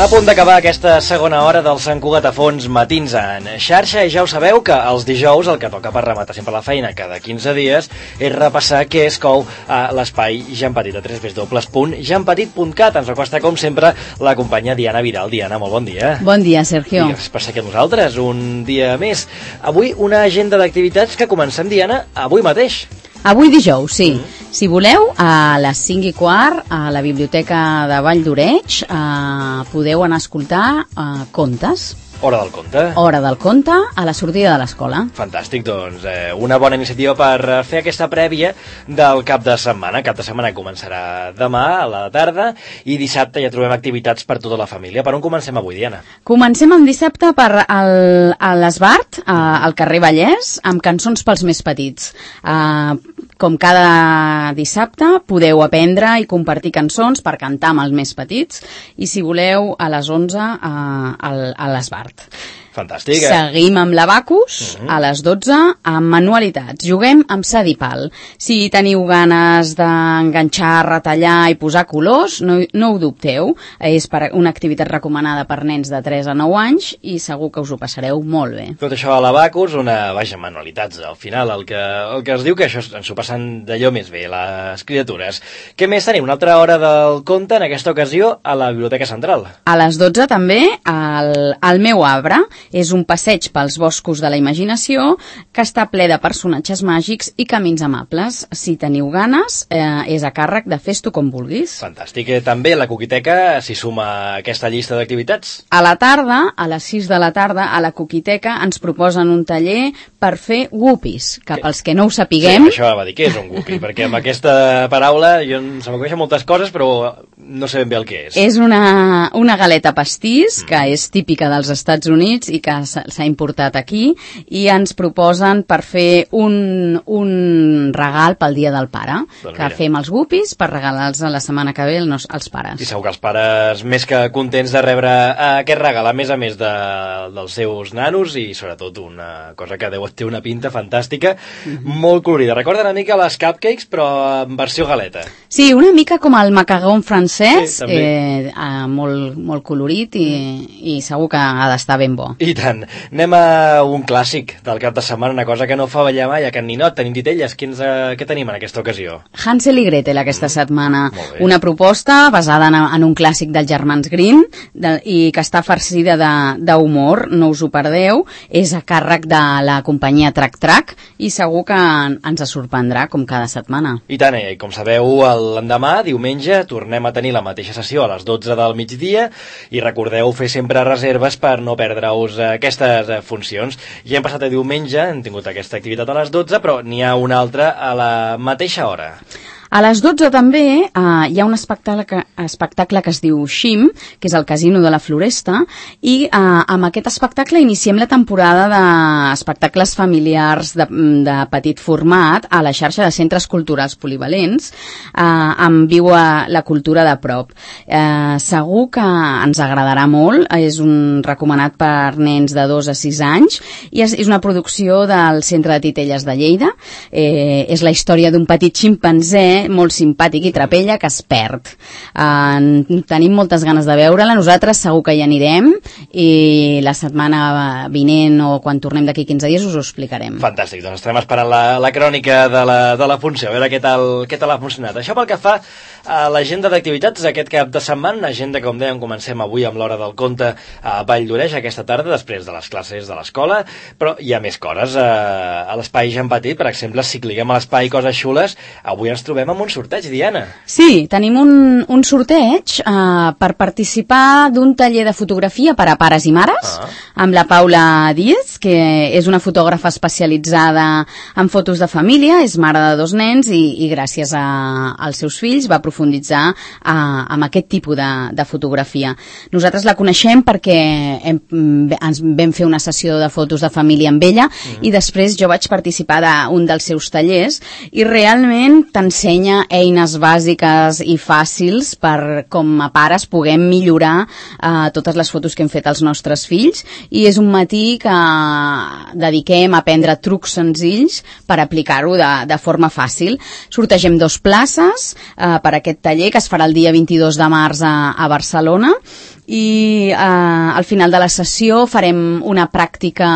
A punt d'acabar aquesta segona hora del Sant Cugat a fons matins en xarxa, i ja ho sabeu que els dijous el que toca per rematar sempre la feina cada 15 dies és repassar què es cou a l'espai Jean Petit a www.jeanpetit.cat. Ens acosta com sempre la companya Diana Vidal. Diana, molt bon dia. Bon dia, Sergio. I gràcies per ser aquí amb nosaltres un dia més. Avui una agenda d'activitats que comencem, Diana, avui mateix. Avui dijous, sí. Si voleu, a les 5:15 a la Biblioteca de Vall d'Oreig podeu anar a escoltar contes. Hora del conte. Hora del conte a la sortida de l'escola. Fantàstic, doncs una bona iniciativa per fer aquesta prèvia del cap de setmana. Cap de setmana començarà demà a la tarda i dissabte ja trobem activitats per tota la família. Per on comencem avui, Diana? Comencem el dissabte per a l'Esbart, al carrer Vallès, amb cançons pels més petits. Com cada dissabte podeu aprendre i compartir cançons per cantar amb els més petits, i si voleu a les 11 a l'Esbart. Fantàstic. Seguim amb l'Abacus a les 12 amb manualitats. Juguem amb Sadipal. Si teniu ganes d'enganxar, retallar i posar colors, no ho dubteu. És una activitat recomanada per nens de 3 a 9 anys i segur que us ho passareu molt bé. Tot això a l'Abacus, manualitats. Al final el que es diu que això ens ho passen d'allò més bé, les criatures. Què més tenim? Una altra hora del conte, en aquesta ocasió a la Biblioteca Central. A les 12 també al meu arbre. És un passeig pels boscos de la imaginació que està ple de personatges màgics i camins amables. Si teniu ganes, és a càrrec de Fes-t'ho com vulguis. Fantàstic. També la Coquiteca s'hi suma a aquesta llista d'activitats. A la tarda, a les 6 de la tarda, a la Coquiteca ens proposen un taller per fer guppies, que pels que no ho sapiguem... Sí, això va dir, què és un guppy? Perquè amb aquesta paraula se m'acudeixen moltes coses, però no sé ben bé el que és. És una galeta pastís que és típica dels Estats Units i que s'ha importat aquí, i ens proposen per fer un regal pel Dia del Pare, doncs que fem els guppies per regalar-los la setmana que ve als pares. I segur que els pares més que contents de rebre aquest regal, a més dels seus nanos, i sobretot una cosa que té una pinta fantàstica, molt colorida. Recorda una mica les cupcakes, però en versió galeta. Sí, una mica com el macaron francès, sí, molt colorit i segur que ha d'estar ben bo. I tant. Anem a un clàssic del cap de setmana, una cosa que no fa ballar mai a Can Ninot. Tenim titelles. Què tenim en aquesta ocasió? Hansel i Gretel aquesta setmana. Una proposta basada en un clàssic dels germans Grimm i que està farcida d'humor. No us ho perdeu. És a càrrec de la companyia Trac Trac i segur que ens sorprendrà com cada setmana. I tant, com sabeu, l'endemà, diumenge, tornem a tenir la mateixa sessió a les 12 del migdia, i recordeu fer sempre reserves per no perdre-us aquestes funcions. Ja hem passat a diumenge, hem tingut aquesta activitat a les 12, però n'hi ha una altra a la mateixa hora. A les 12 també hi ha un espectacle que es diu Xim, que és el Casino de la Floresta, i amb aquest espectacle iniciem la temporada d'espectacles familiars de petit format a la xarxa de centres culturals polivalents, amb Viu la cultura de prop. Segur que ens agradarà molt, és un recomanat per nens de 2 a 6 anys, i és una producció del Centre de Titelles de Lleida. És la història d'un petit ximpanzé molt simpàtic i trapella que es perd. Tenim moltes ganes de veure-la, nosaltres segur que hi anirem, i la setmana vinent o quan tornem d'aquí 15 dies us ho explicarem. Fantàstic, doncs estarem esperant la crònica de la funció, a veure què tal ha funcionat. Això pel que fa a l'agenda d'activitats aquest cap de setmana, agenda, com dèiem, comencem avui amb l'hora del conte a Vall d'Oreig aquesta tarda, després de les classes de l'escola, però hi ha més coses. A l'espai Jean Petit, per exemple, si cliquem a l'espai Coses Xules, avui ens trobem amb un sorteig, Diana. Sí, tenim un sorteig per participar d'un taller de fotografia per a pares i mares, amb la Paula Díez, que és una fotògrafa especialitzada en fotos de família, és mare de 2 nens i gràcies als seus fills va profunditzar amb aquest tipus de fotografia. Nosaltres la coneixem perquè ens vam fer una sessió de fotos de família amb ella i després jo vaig participar d'un dels seus tallers i realment t'ensenya eines bàsiques i fàcils per com a pares puguem millorar totes les fotos que hem fet als nostres fills, i és un matí que dediquem a aprendre trucs senzills per aplicar-ho de forma fàcil. Sortegem 2 places per aquest taller que es farà el dia 22 de març a Barcelona, i al final de la sessió farem una pràctica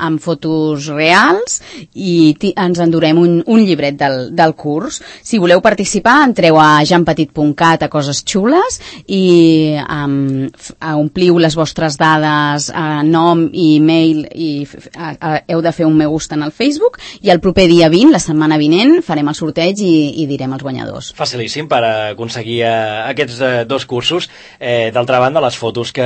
amb fotos reals i ens endurem un llibret del curs. Si voleu participar, entreu a janpetit.cat a coses xules i ompliu les vostres dades, nom i e-mail, i heu de fer un me gusta en el Facebook, i el proper dia 20, la setmana vinent, farem el sorteig i direm els guanyadors. Facilíssim per aconseguir aquests dos cursos. D'altra banda, les fotos que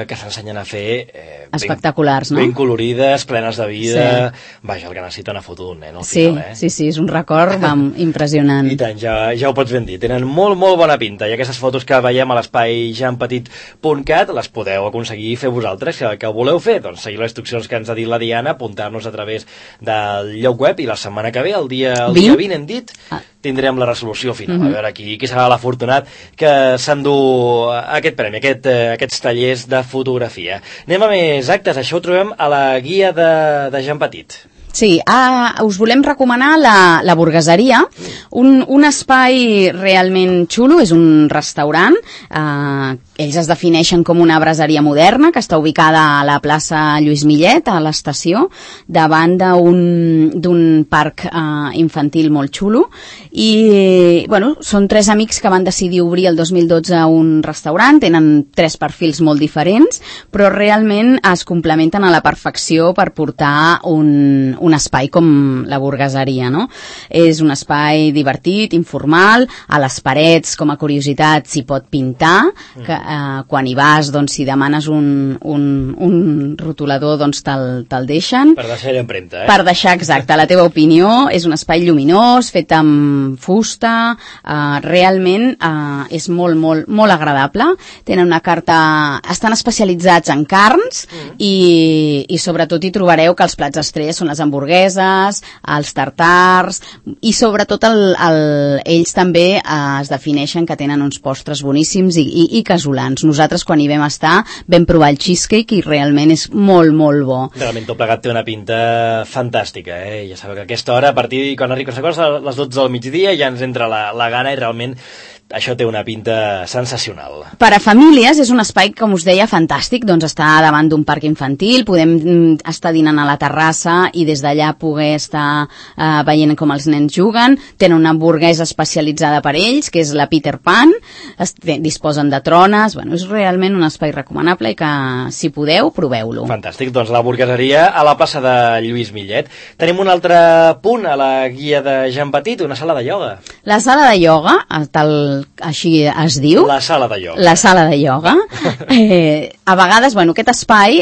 s'ensenyen a fer espectaculars, no? Ben colorides, plenes de vida. Sí. Vaja, el que necessita una foto d'un nen al final, Sí, és un record impressionant. I tant, ja ho pots ben dir. Tenen molt, molt bona pinta, i aquestes fotos que veiem a l'espai janpetit.cat les podeu aconseguir fer vosaltres, que ho voleu fer. Doncs seguir les instruccions que ens ha dit la Diana, apuntar-nos a través del lloc web, i la setmana que ve, el dia 20 hem dit, tindrem la resolució final. A veure qui serà l'afortunat que s'endú aquest premi, aquests tallers de fotografia. Anem a més actes. Això ho trobem a la guia de Jan Petit. Sí, us volem recomanar la Burgueseria, un espai realment xulo, és un restaurant, ells es defineixen com una braseria moderna que està ubicada a la plaça Lluís Millet, a l'estació, davant d'un parc infantil molt xulo, i bueno, són 3 amics que van decidir obrir el 2012 un restaurant, tenen 3 perfils molt diferents, però realment es complementen a la perfecció per portar un espai com la Burgueseria, no? És un espai divertit, informal, a les parets, com a curiositat, s'hi pot pintar, que quan hi vas, doncs, si demanes un rotulador, doncs te'l deixen. Per deixar l'empremta, Per deixar, exacte, la teva opinió. És un espai lluminós, fet amb fusta, realment és molt, molt, molt agradable. Tenen una carta... Estan especialitzats en carns i sobretot hi trobareu que els plats estrella són les hamburgueses, els tartars, i sobretot ells també es defineixen que tenen uns postres boníssims i casolans. Nosaltres, quan hi vam estar, vam provar el cheesecake i realment és molt, molt bo. Realment tot plegat té una pinta fantàstica, Ja sabeu que a aquesta hora, a partir de quan arriba a les 12 del migdia, ja ens entra la gana, i realment això té una pinta sensacional. Per a famílies és un espai, com us deia, fantàstic, doncs està davant d'un parc infantil, podem estar dinant a la terrassa i des d'allà poder estar veient com els nens juguen. Tenen una hamburguesa especialitzada per ells, que és la Peter Pan, disposen de trones, bueno, és realment un espai recomanable i que, si podeu, proveu-lo. Fantàstic, doncs la Burgueseria a la plaça de Lluís Millet. Tenim un altre punt a la guia de Jan Petit, una sala de ioga. La sala de ioga, així es diu. La sala de ioga. La sala de ioga. A vegades, bueno, aquest espai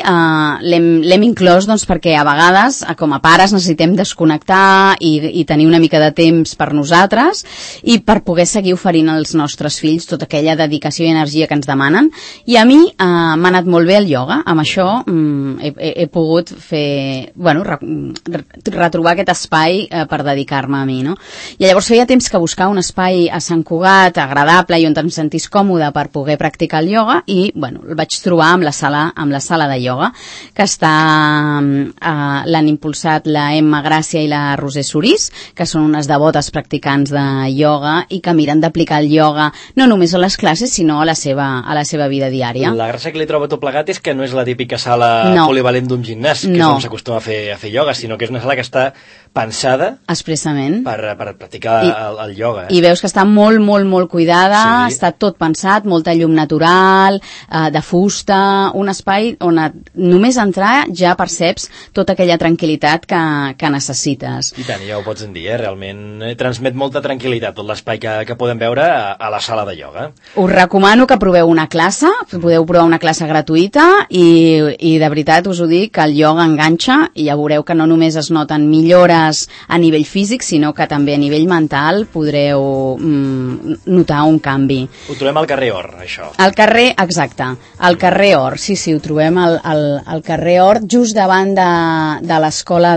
l'hem inclòs doncs, perquè a vegades, com a pares, necessitem desconnectar i tenir una mica de temps per nosaltres i per poder seguir oferint als nostres fills tota aquella dedicació i energia que ens demanen. I a mi m'ha anat molt bé el ioga. Amb això he pogut fer, bueno, retrobar aquest espai per dedicar-me a mi, no? I llavors feia temps que buscar un espai a Sant Cugat agradable i on em sentís còmode per poder practicar el ioga i, bueno, el vaig trobar amb la sala de ioga, que l'han impulsat la Emma Gràcia i la Roser Sorís, que són unes devotes practicants de ioga i que miren d'aplicar el ioga no només a les classes, sinó a la seva vida diària. La gràcia que li trobo tot plegat és que no és la típica sala polivalent d'un gimnàs, que és on s'acostuma a fer ioga, sinó que és una sala que està pensada expressament per practicar el ioga. I veus que està molt, molt, molt cuidada, està tot pensat, molta llum natural, de fusta, un espai on només entrar ja perceps tota aquella tranquil·litat que necessites. I tant, ja ho pots dir, realment transmet molta tranquil·litat tot l'espai que podem veure a la sala de ioga. Us recomano que proveu una classe, podeu provar una classe gratuïta i de veritat us ho dic, que el ioga enganxa i ja veureu que no només es noten millores a nivell físic, sinó que també a nivell mental podreu notar un canvi. Ho trobem al carrer Or, això. Al carrer, exacte, al carrer Or, sí, ho trobem al carrer Or, just davant de l'escola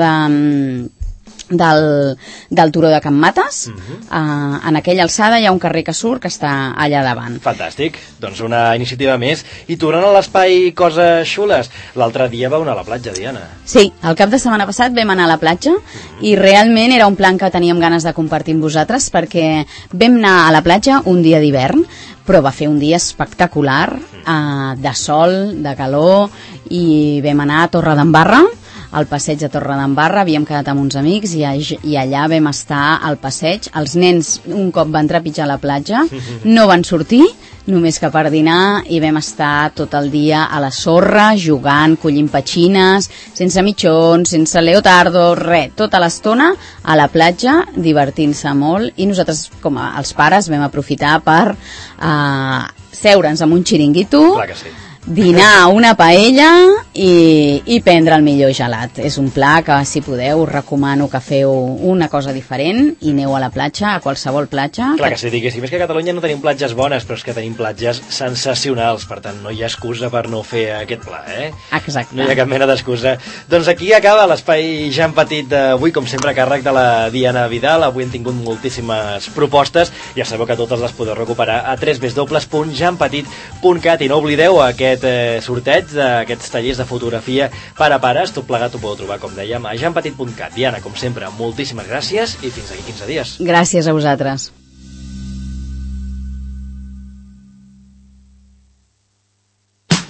del Turó de Can Mates. En aquella alçada hi ha un carrer que surt que està allà davant. Fantàstic, doncs una iniciativa més. I tornant a l'espai Coses Xules, l'altre dia vau anar a la platja, Diana. Sí, el cap de setmana passat vam anar a la platja i realment era un plan que teníem ganes de compartir amb vosaltres, perquè vam anar a la platja un dia d'hivern, però va fer un dia espectacular, de sol, de calor, i vam anar a Torredembarra, al passeig de Torredembarra. Havíem quedat amb uns amics i allà vam estar al passeig. Els nens un cop van trepitjar a la platja no van sortir, només que per dinar, i vam estar tot el dia a la sorra, jugant, collint petxines, sense mitjons, sense leotardo, res, tota l'estona a la platja, divertint-se molt, i nosaltres, com els pares, vam aprofitar per seure'ns amb un xiringuito, clar que sí, dinar una paella i prendre el millor gelat. És un pla que, si podeu, us recomano que feu una cosa diferent i aneu a la platja, a qualsevol platja. Clar que sí, diguéssim, és que a Catalunya no tenim platges bones, però és que tenim platges sensacionals, per tant no hi ha excusa per no fer aquest pla, Exacte. No hi ha cap mena d'excusa. Doncs aquí acaba l'espai Jan Petit d'avui, com sempre a càrrec de la Diana Vidal. Avui hem tingut moltíssimes propostes, ja sabeu que totes les podeu recuperar a www.janpetit.cat, i no oblideu aquest sorteig d'aquests tallers de fotografia per a pares. Tot plegat ho podeu trobar, com dèiem, a janpetit.cat. Diana, com sempre, moltíssimes gràcies i fins aquí 15 dies. Gràcies a vosaltres.